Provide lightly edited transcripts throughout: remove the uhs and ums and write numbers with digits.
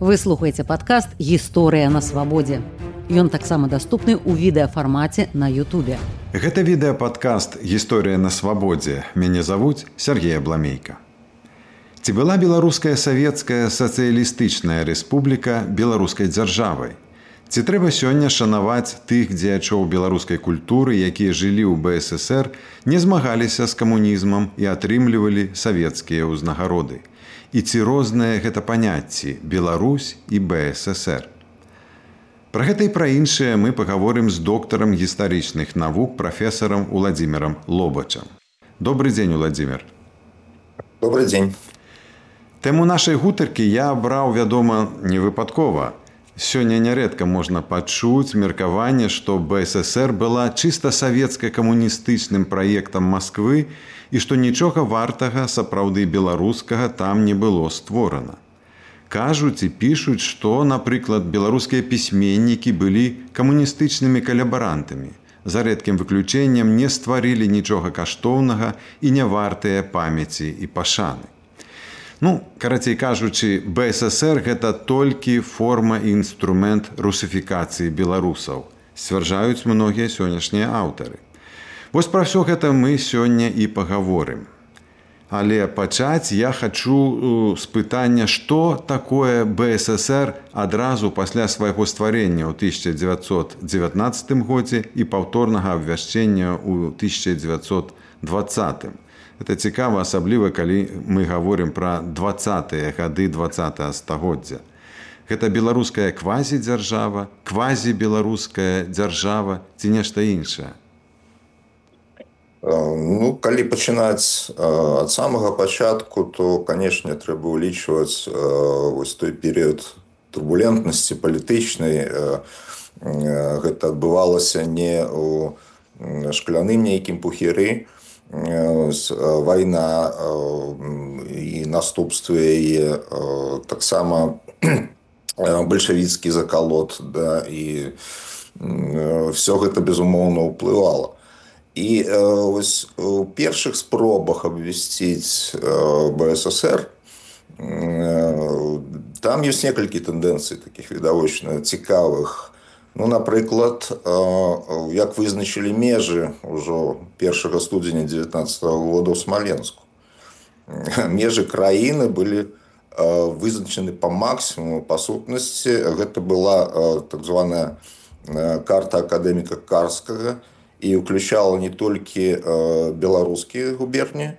Вы слухаеце падкаст «Гісторыя на свабодзе». Ён таксама даступны ў відэафармаце на Ютубе. Гэта відэападкаст «Гісторыя на свабодзе». Мяне завуць Сергей Абламейка. Ці была беларуская савецкая сацыялістычная рэспубліка беларускай дзяржавай? Ці трэба сёння шанаваць тых дзеячоў беларускай культуры, якія жылі ў БССР, не змагаліся з камунізмам і атрымлівалі савецкія ўзнагароды? І ці розныя гэта паняцці Беларусь і БССР? Пра гэта і пра іншае мы пагаворым з доктарам гістарычных навук прафесарам Уладзімірам Лобачам. Добры дзень, Уладзімір. Добрый дзень. Тэму нашай гутаркі я абраў, вядома, не выпадкова. Сёння нярэдка можна пачуць меркаванне, што БССР была чыста савецка-камуністычным праектам Масквы і што нічога вартага сапраўды беларускага там не было створана. Кажуць і пішуць, што, напрыклад, беларускія пісьменнікі былі камуністычнымі калабарантамі, за рэдкім выключэннем не стварылі нічога каштоўнага і не вартыя памяці і пашаны. Карацей кажучы, БССР гэта толькі форма і інструмент русіфікацыі беларусаў, сцвярджаюць многія сённяшнія аўтары. Вось пра ўсё гэта мы сёння і пагаворым. Але пачаць я хачу з пытання, што такое БССР адразу пасля свайго стварення ў 1919 годзе і паўторнага абвяшчэння ў 1920. Гэта цікава, асабліва, калі мы гаворым пра 20-е гады 20-го стагоддзя. Гэта беларуская квазідзяржава, квазібеларуская дзяржава ці нешта іншае? Калі пачынаць ад самага пачатку, то, канешне, трэба ўлічваць вось той перыяд турбулентнасці палітычнай. Гэта адбывалася не ў шкляным нейкім пухіры. Вайна і наступствы яе, таксама бальшавіцкі закалот, і ўсё гэта, безумоўна, ўплывала. І вось у першых спробах абвясціць БССР там ёсць некалькі тэндэнцый такіх відавочна цікавых. Напрыклад, як вызначылі межы ўжо 1 студзеня 19 года ў Смаленску. Межы краіны былі вызначаны па максімуму, па сутнасці. Гэта была так званая карта акадэміка Карскага і ўключала не толькі беларускія губерні,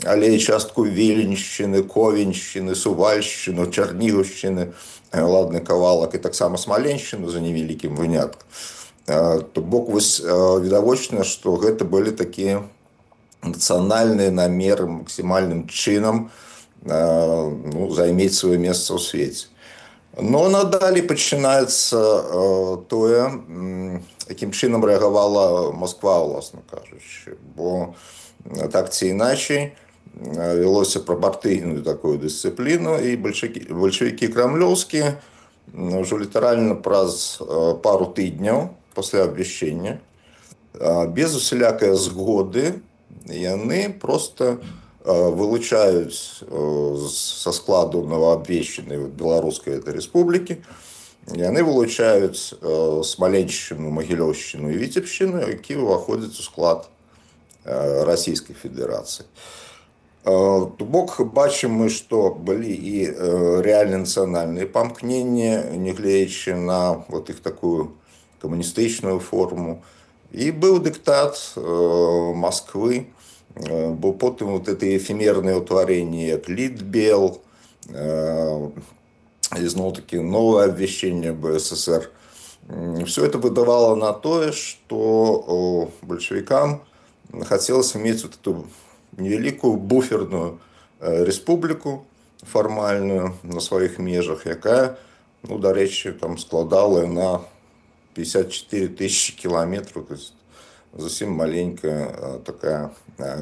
але і частку Віленшчыны, Ковеншчыны, Сувальшчыну, Чарнігаўшчыны, ладны кавалак, і таксама Смаленшчыну за невялікім выняткам. То бок вось відавочна, што гэта былі такія нацыянальныя намеры максімальным чынам займець сваё месца ў свеце. Надалей пачынаецца тое, якім чынам рэагавала Масква, уласна кажучы. Бо так ці іначай вялося пра партыйную такую дысцыпліну, і бальшавікі крамлёўскія ўжо літаральна праз пару тыдняў пасля абвяшчэння, без усялякай згоды, яны проста вылучаюць са складу новаабвешчанай беларускай рэспублікі, яны вылучаюць Смаленшчыну, Магілёўшчыну і Віцебшчыну, які ўваходзяць у склад Расійскай Федэрацыі. То бок бачым мы, што былі і рэальна нацыянальныя памкненні, нягледзячы на іх такую камуністычную форму. І быў дыктат Масквы, бо потым гэтыя эфемерныя ўтварэнні, як Літбел, зноў-такі новае абвяшчэнне БССР. Все это выдавало на тое, што бальшавікам хацелася мець эту невялікую буферную рэспубліку фармальную на сваіх межах, якая, дарэчы, там складала на 54 тысячи кіламетраў, то есть зусім маленькая такая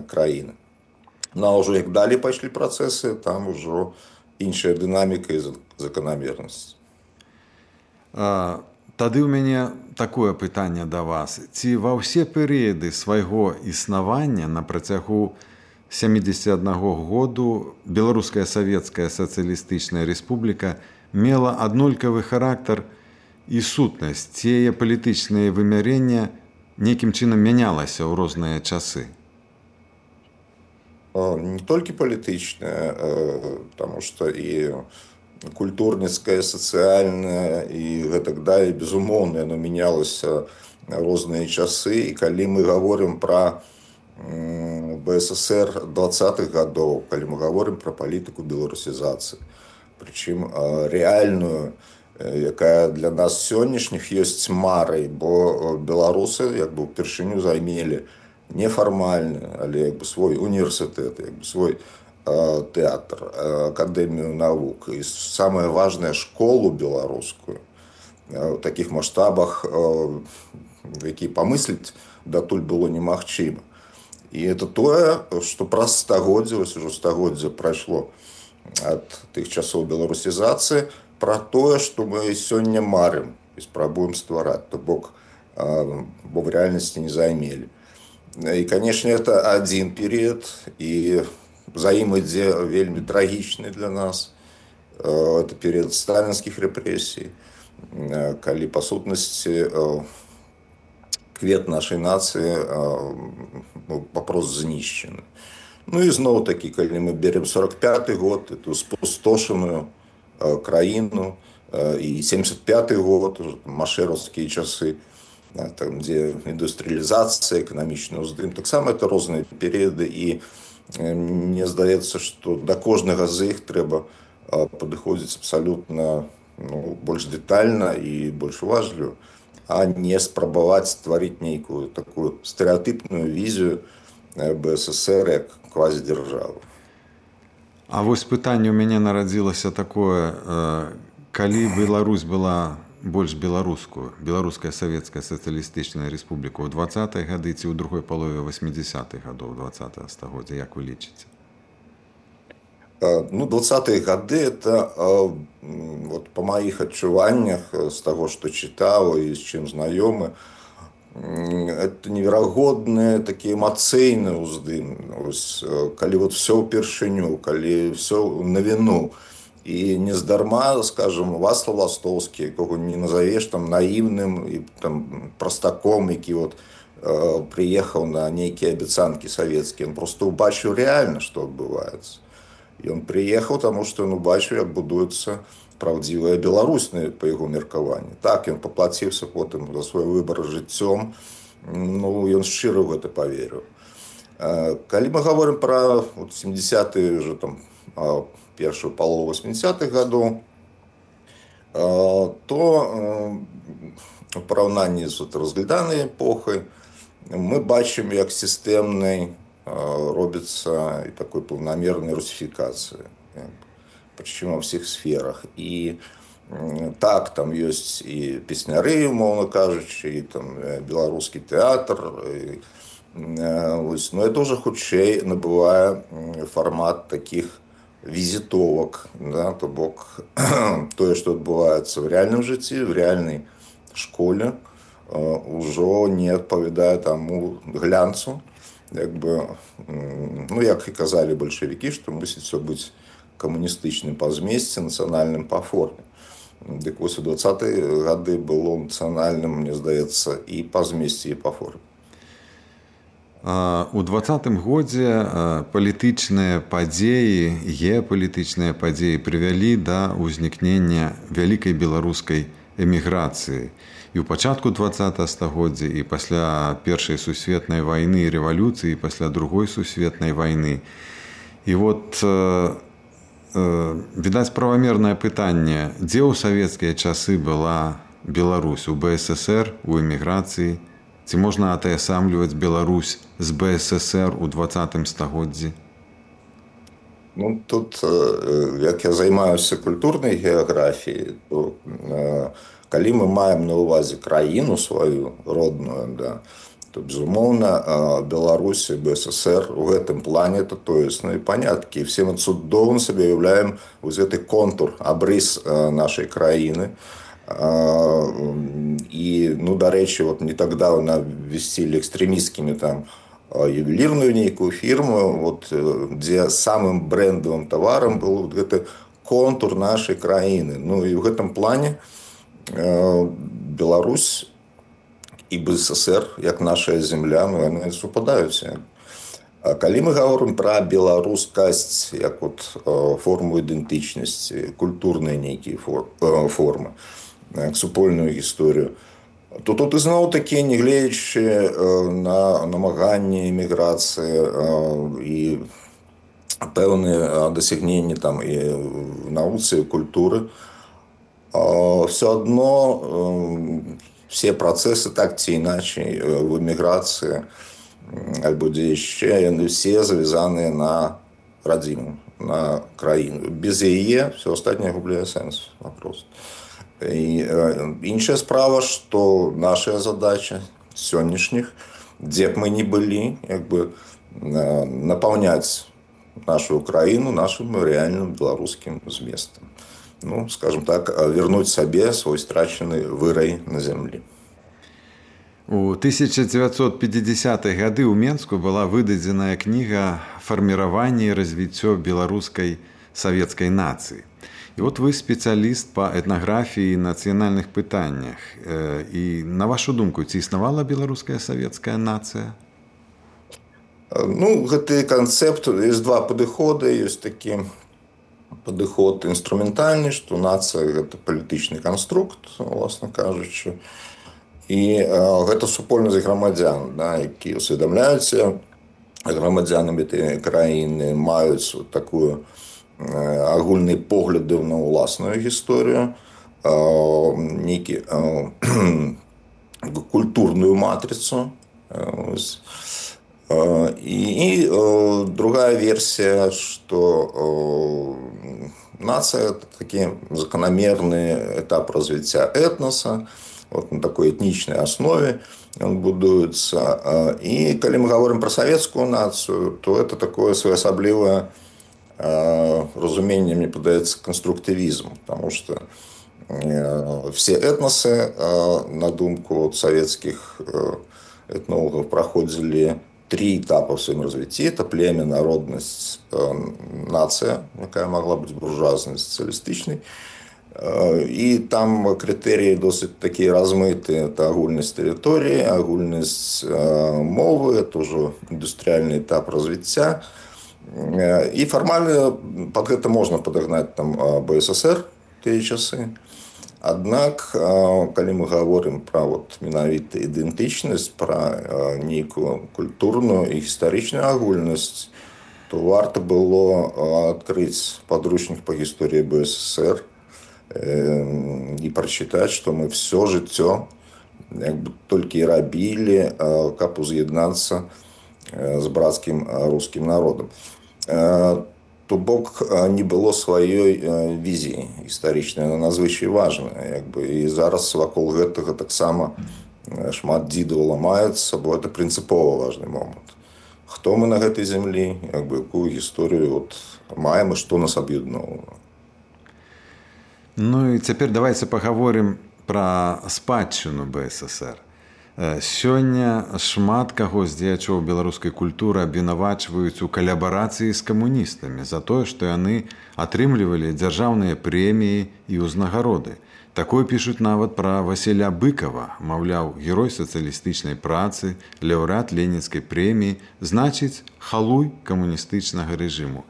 краіна. А ўжо як далей пайшлі працэсы, там ужо іншая дынаміка і заканамернасць. Тады ў мяне такое пытанне да вас. Ці ва ўсе перыяды свайго існавання на працягу 1971 году Беларуская Савецкая Сацыялістычная Рэспубліка мела аднолькавы характар і сутнасць. Яе палітычнае вымярэнне нейкім чынам мянялася ў розныя часы. Не только политичное, потому что и культурніцкае, сацыяльнае і гэтак далей, безумоўна, яно мянялася розныя часы. І калі мы гаворым пра БССР 20-х гадоў, калі мы гаворым пра палітыку беларусізацыі, прычым рэальную, якая для нас сённяшніх ёсць марай, бо беларусы як бы ўпершыню займелі нефармальны, але як бы свой універсітэт, як бы свой тэатр, акадэмію навук і самае важнае школу беларускую у такіх маштабах, які памысліць датуль было немагчыма. І это тое, што праз стагоддзе, ось ужо стагоддзе прайшло ад тых часоў беларусізацыі, пра тое, што мы сёння марым і спрабуем ствараць, то бок, бо в рэальнасці не займелі. І, канешне, это адзін перыяд, і за ім ідзе вельмі трагічны для нас. Это перыяд сталінскіх рэпрэсій, калі, па сутнасці, квет нашай нацыі папрост знішчаны. Ну і зноў-такі, калі мы берем 45-й год, эту спустошаную краіну, і 75-й год, машэраўскія часы, там, дзе індустрыялізацыя, эканамічны ўздым, таксама это розныя перыяды, і мне здаецца, што да кожнага з іх трэба падыходзіць абсалютна больш дэтальна і больш уважліва, а не спрабаваць стварыць нейкую такую стэрэатыпную візію БССР як квазідзяржавы. А вось пытанне ў мяне нарадзілася такое, калі Беларусь была больш беларускую, Беларуская Савецкая Сацыялістычная Рэспубліка ў 20-е гады ці ў другой палове 80-х гадоў 20-го стагоддзя, як вы лічыце? Ну, 20-е гады, это вот по моих адчуваннях, з таго, што чытаў і з чым знаёмы, это неверагодны такі эмацыйны ўздым. Калі вот все ўпершыню, калі все на віну. І нездарма, скажем, Вацлав Ластоўскі, якога не назовеш там наіўным і там простаком, які вот прыехаў на нейкія абяцанкі савецкія, он просто убачыў рэальна, што адбываецца. І он прыехаў, таму што ён убачыў, як будуецца праўдзівая Беларусь, па яго меркаванні. Так, ён паплаціўся потым за свой выбар жыццём, ну, ён шчыра ў гэта паверыў. Калі мы гаворым пра 70-е, уже там, першую палову 80-х гадоў, то у параўнанні з разгляданай эпохай мы бачым, як сістэмнай робіцца і такой паўнамернай русіфікацыі, прычым ва ўсіх сферах. І так, там ёсць і песняры, умоўна кажучы, і там беларускі тэатр, но это уже хутчэй набывае фармат такіх візітовак, да, то бок тое, што адбываецца в рэальным жыцці, в рэальнай школе, ўжо не адпавядае таму глянцу, як бы, ну, як і казалі бальшавікі, што мусіць все быць камуністычным па змесце, нацыянальным па форме. Дык вось у 20-е гады было нацыянальным, мне здаецца, і па змесце, і па форме. У 20-м годзе палітычныя падзеі, геапалітычныя падзеі прывялі да ўзнікнення вялікай беларускай эміграцыі. І ў пачатку 20-го стагоддзя, і пасля Першай сусветнай вайны і рэвалюцыі, і пасля Другой сусветнай вайны. І вот, відаць, правамернае пытанне, дзе ў савецкія часы была Беларусь? У БССР, у эміграцыі? Ці можна атаясамліваць Беларусь з БССР у 20-м стагоддзі? Ну, тут, як я займаюся культурнай геаграфіяй, то калі мы маем на ўвазе краіну сваю родную, да, то, безумоўна, Беларусь і БССР у гэтым плане это тоесныя паняткі. І все мы цудоўна сабе уяўляем вось гэты контур, абрыс нашай краіны. І, ну, дарэчы, вот не так даўна ввесцілі экстрэмісцкімі там ювелірную нейкую фірму, вот, дзе самым брэндавым таварам был вот гэты контур нашай краіны. Ну і ў гэтым плане Беларусь і БССР, як наша зямля, ну, яны супадаюць. А калі мы гаворым пра беларускасць як от форму ідэнтычнасці, культурныя нейкія формы, як супольную гісторыю, то тут ізноў такі, нягледзячы на намаганні эміграцыі і пэўныя дасягненні там і в навуцы, і культуры, все адно все працэсы так ці іначай в эміграцыі альбо дзе яшчэ, яны все завязаныя на радзіму, на краіну. Без яе все астатняе губляе сэнс вопрос. І іншая справа, што наша задача сённяшніх, дзе б мы не былі, як бы напаўняць нашу краіну нашим реальным беларускім зместам. Ну, скажем так, вернуть сабе свой страчаны вырай на зямлі. У 1950-х гады ў Менску была выдадзеная кніга «Фарміраванне і развіццё беларускай савецкай нацыі». І вот вы спецыяліст па этнаграфіі і нацыянальных пытаннях. І на вашу думку, ці існавала беларуская савецкая нацыя? Ну, гэты канцэпт, ёсць два падыходы. Ёсць такі падыход інструментальны, што нацыя – гэта палітычны канструкт, уласна кажучы. І гэта супольнасць грамадзян, да, які усведамляюцца грамадзянамі гэтай краіны, маюць такую агульныя погляды на ўласную гісторыю, нейкі культурную матрицу. І другая версія, што нацыя – это такі закономерны этап развіцця этноса, вот на такой этнічнай аснове он будуецца. І калі мы гаворым пра савецкую нацыю, то это такое своеасаблівае разуменне, мне падаецца, конструктивизм, потому что все этносы, на думку советских этнологов, проходили три этапа в своем развитии. Это племя, народность, нация, якая могла быть буржуазной, социалистичной. И там критерии досыць такие размытые. Это агульность территории, агульность мовы, это уже индустриальный этап развития. И формально под это можно подогнать там БССР те часы. Аднак, калі мы гаворым пра вот менавіта ідэнтычнасць, пра нейкую культурную і гістарычную агульнасць, то варта было адкрыць падручнік па гісторыі БССР і прачытаць, што мы все жыццё як бы толькі і рабілі, каб уз'яднацца з брацкім рускім народам. То бок не было сваёй візіі гістарычнай, яна надзвычай важная. І зараз вакол гэтага таксама шмат дзідаў ламаецца, бо гэта прынцыпова важны момант. Хто мы на гэтай зямлі, якую гісторыю маем і што нас аб'ядноўвае. Ну і цяпер давайце пагаворым пра спадчыну БССР. Сёння шмат каго з дзеячоў беларускай культуры абвінавачваюць у калабарацыі з камуністамі за тое, што яны атрымлівалі дзяржаўныя прэміі і ўзнагароды. Такое пішуць нават пра Васіля Быкова, маўляў, герой сацыялістычнай працы, лаўрэат ленінскай прэміі, значыць, халуй камуністычнага рэжыму.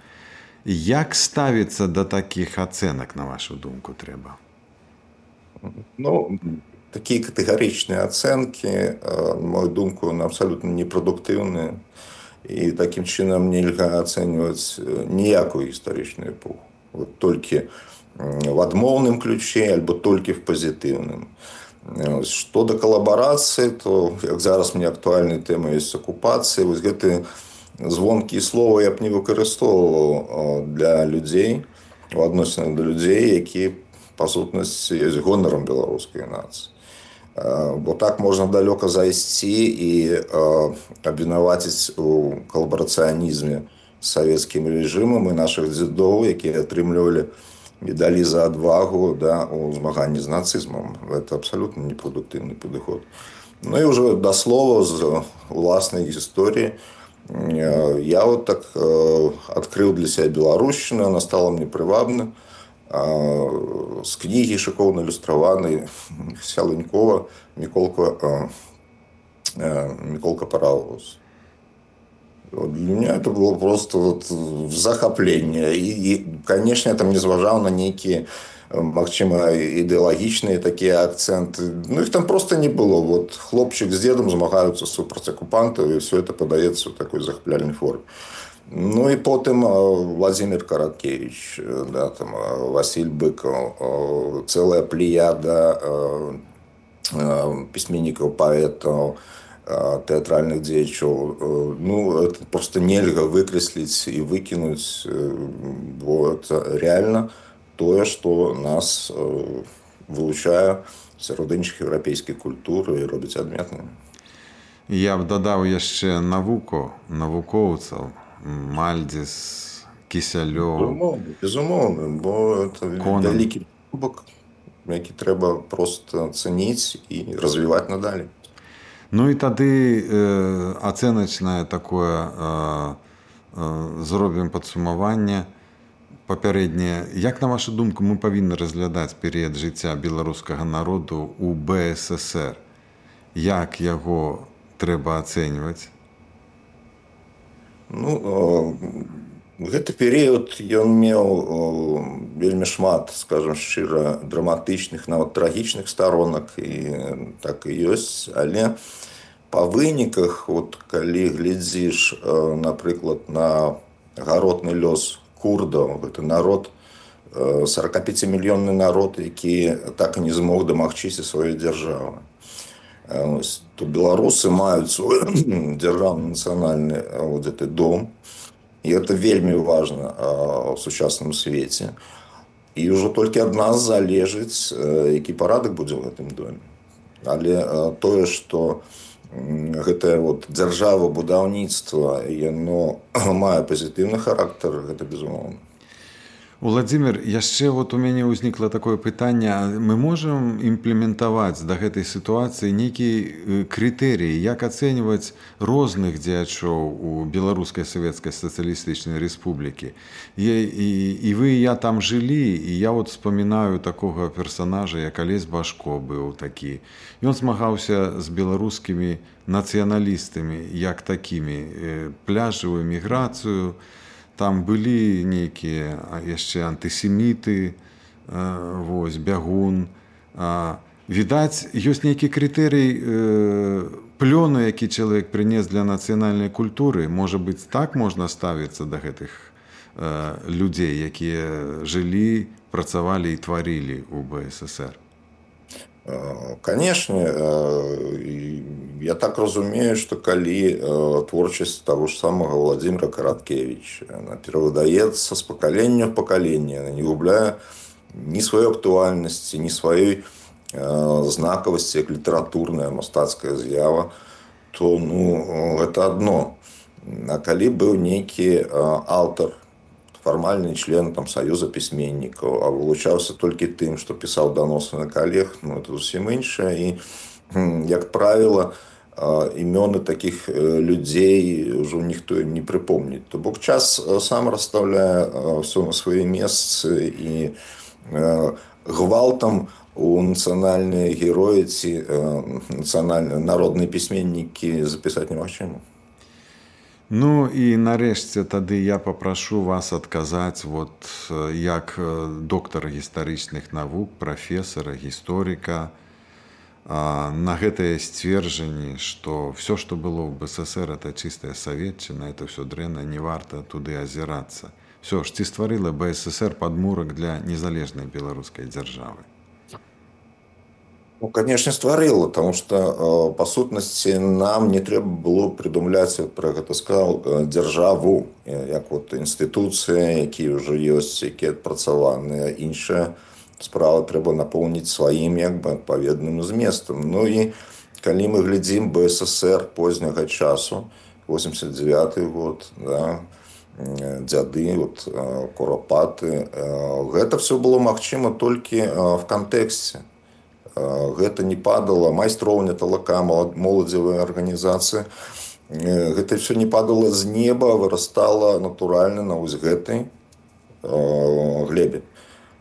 Як ставіцца да такіх ацэнак, на вашу думку, трэба? Ну, такие категоричные оценки, на мою думку, абсолютно непрадуктыўныя. И таким чином нельга оценивать ніякую гістарычную эпоху. Вот только в адмоўным ключе, альбо только в позитивным. Что до коллаборации, то, як зараз мне актуальная тема есть оккупации, вот гэты звонкие слова я б не выкарыстоўваў для людей, в адносінах до людей, які, по сутнасці, есть гонором беларускай нацыі. Бо так можна далёка зайсці і абвінаваціць у калабарацыянізме з савецкім рэжымам і нашых дзедоў, якія атрымлівалі медалі за адвагу, да, у змаганні з нацызмам. Это абсолютно непрадуктыўны падыход. Ну и уже до слова з уласнай гісторыі. Я вот так открыл для себя беларушчыну, она стала мне прывабна. З кнігі шыкоўна ілюстраванай Сялынькова Миколка Паровоз. Для меня это было просто вот захопление. И, конечно, я там не зважал на некие, магчыма, ідэалагічныя такія акценты. Ну, их там просто не было. Вот хлопчик с дедом змагаюцца супраць акупантаў, и все это подаецца в такой захапляльнай форме. Ну и потым Владимир Караткевич, да, там, Василь Быков, целая плеяда пісьменнікаў, паэтаў, тэатральных дзеячоў. Ну, это просто нельга выкрэсліць і выкінуць, бо это реально тое, што нас вылучае сярод іншых еўрапейскіх культур і робіць адметнымі. Я б дадаў яшчэ навукоўцаў, Мальдзіс, Кісялёў. Безумоўна, бо это вялікі бок, які трэба проста цэніць і развіваць надалей. Ну і тады ацэначнае такое зробім падсумаванне папярэдняе. Як, на вашу думку, мы павінны разглядаць перыяд жыцця беларускага народу ў БССР? Як яго трэба ацэньваць? Ну, гэты перыяд ён меў вельмі шмат, скажам шчыра, драматычных, нават трагічных сторонак, і так і ёсць, але па выніках, вот, калі глядзіш, напрыклад, на гаротны лёс курдаў, гэта народ, 45-мільённы народ, які так і не змог дамагчыся сваёй дзяржавы. То беларусы маюць свой дзяржаўны нацыянальны вот гэты дом, і это вельмі важна ў сучасным свеце. І ўжо толькі ад нас залежыць, які парадак будзе ў гэтым доме. Але тое, што гэтае вот дзяржава будаўніцтва, яно мае пазітыўны характар, гэта безумоўна. Владимир, яшчэ вот у мяне ўзнікла такое пытанне. Мы можам імплементаваць да гэтай сітуацыі нейкі крытэрыі, як ацэньваць розных дзеячоў у Беларускай Савецкай Сацыялістычнай Рэспублікі. І вы, і я там жылі, і я вот вспоминаю такога персонажа, як Алесь Башко быў такі. Ён змагаўся з беларускімі нацыяналістамі, як такімі, пляжавую міграцыю. Там былі нейкія яшчэ антысеміты, вось, бягун. Відаць, ёсць нейкі крытэрый плёну, які чалавек прынес для нацыянальнай культуры. Можа быць, так можна ставіцца да гэтых людзей, якія жылі, працавалі і тварылі ў БССР? Конечно, я так разумею, что калі творчасць того ж самого Владимира Караткевича, она перавыдаецца з пакалення ў пакаленне, она не губляе ні сваёй актуальнасці, ні сваёй знакавасці, як літаратурная мастацкая з'ява, то гэта адно. А калі быў нейкі аўтар, фармальны член там саюза пісьменнікаў, а вылучаўся толькі тым, што пісаў даносы на калег, это зусім іншае. І, як правіла, імёны такіх людзей ўжо ніхто ім не прыпомніць. То бок час сам расстаўляе ўсё на свае месцы, і гвалтам у нацыянальныя героі ці народныя пісьменнікі запісаць немагчыма. Ну і нарэшце тады я папрашу вас адказаць вот як доктара гістарычных навук, прафесара, гісторыка на гэтае сцверджанне, што все, што было ў БССР, это чыстая саветчына, это все дрэнна, не варта туды азірацца. Все ж, ці стварыла БССР падмурак для незалежнай беларускай дзяржавы? Ну, конечно, стварыла, потому что, по сутнасці, нам не трэба было придумляць, пра гэта сказал, дзяржаву, як вот інстытуцыі, якія ўжо ёсць, якія адпрацаваныя. Іншая справа трэба напоўніць сваім як бы адпаведным зместам. Ну і калі мы глядзім БССР позняга часу, 89 год, да, дзяды, вот, Курапаты, гэта все было магчыма толькі в кантэксце Гэта не падала, майстроўня талака, моладзевая арганізацыя. Гэта все не падала з неба, вырастала натуральна на вось гэтай глебе.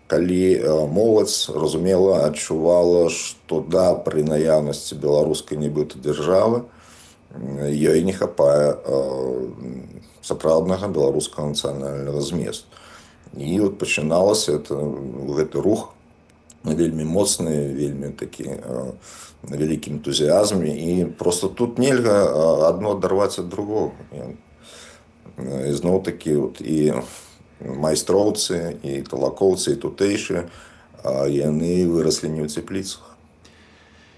Калі моладзь разумела, адчувала, што да, пры наяўнасці беларускай нібыта дзяржавы ёй не хапае сапраўднага беларускага нацыянальнага зместу. І от пачыналася гэты рух вельмі моцны, вельмі такі на вялікім энтузіязме. І просто тут нельга адно адарваць ад другога. І зноў-такі і майстроўцы, і талакоўцы, і тутэйшыя, яны выраслі не ў цепліцах.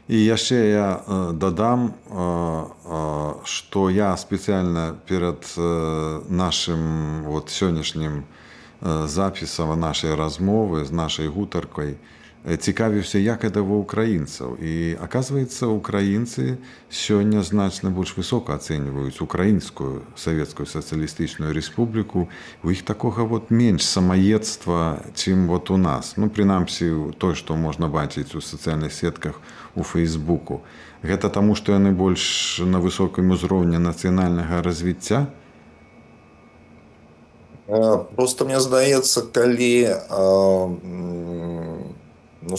І яшчэ я дадам, што я спецыяльна перад нашым сённяшнім запісам нашай размовы з нашай гутаркай цікавіўся, як гэта ва ўкраінцаў. І, аказваецца, украінцы сёння значна больш высока ацэньваюць украінскую савецкую сацыялістычную рэспубліку. У іх такога менш самаедства, чым у нас. Прынамсі, той, што можна бачыць у сацыяльных сетках у Фейсбуку. Гэта таму, што яны больш на высокім узроўні нацыянальнага развіцця? Просто мне здаецца, калі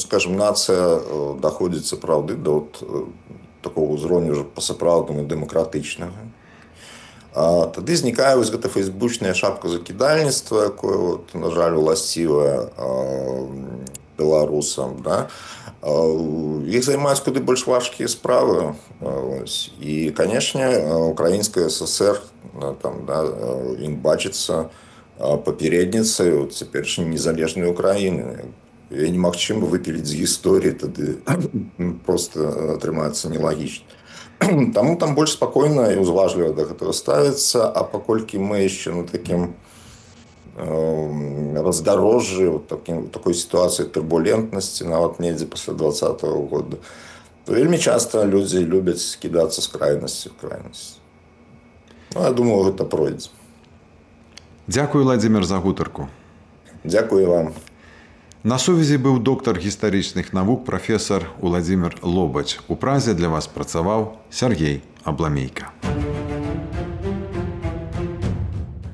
скажем, нацыя даходзіць сапраўды да такого ўзроўню ўжо па-сапраўднаму дэмакратычнага, тады знікае вось гэта фейсбучная шапка закідальніцтва, якое, на жаль, уласцівае беларусам. Іх займаюць куды больш важкія справы. І, канешне, украінская ССР ім бачыцца папярэдніцай цяперашняй незалежнай Украіны. І немагчыма выпіліць з гісторыі, тады проста атрымаецца нелагічна. Таму там больш спакойна і ўзважліва да гэтага ставіцца, а паколькі мы яшчэ на такім раздарожжы, такой сітуацыі турбулентнасці, нават недзе пасля 2020 года, то вельмі часта людзі любяць кідацца з крайнасці ў крайнасць. Я думаю, гэта пройдзе. Дзякую, Владзімір, за гутарку. Дзякую вам. На сувязі быў доктар гістарычных навук, прафесар Владзімір Лобач. У Празе для вас працаваў Сергей Абламейка.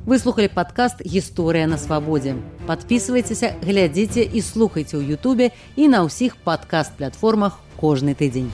Вы слухали падкаст «Гісторыя на свабодзе». Падпісвайцеся, глядзіце і слухайце ў Ютубе і на ўсіх падкаст-платформах кожны тыдзень.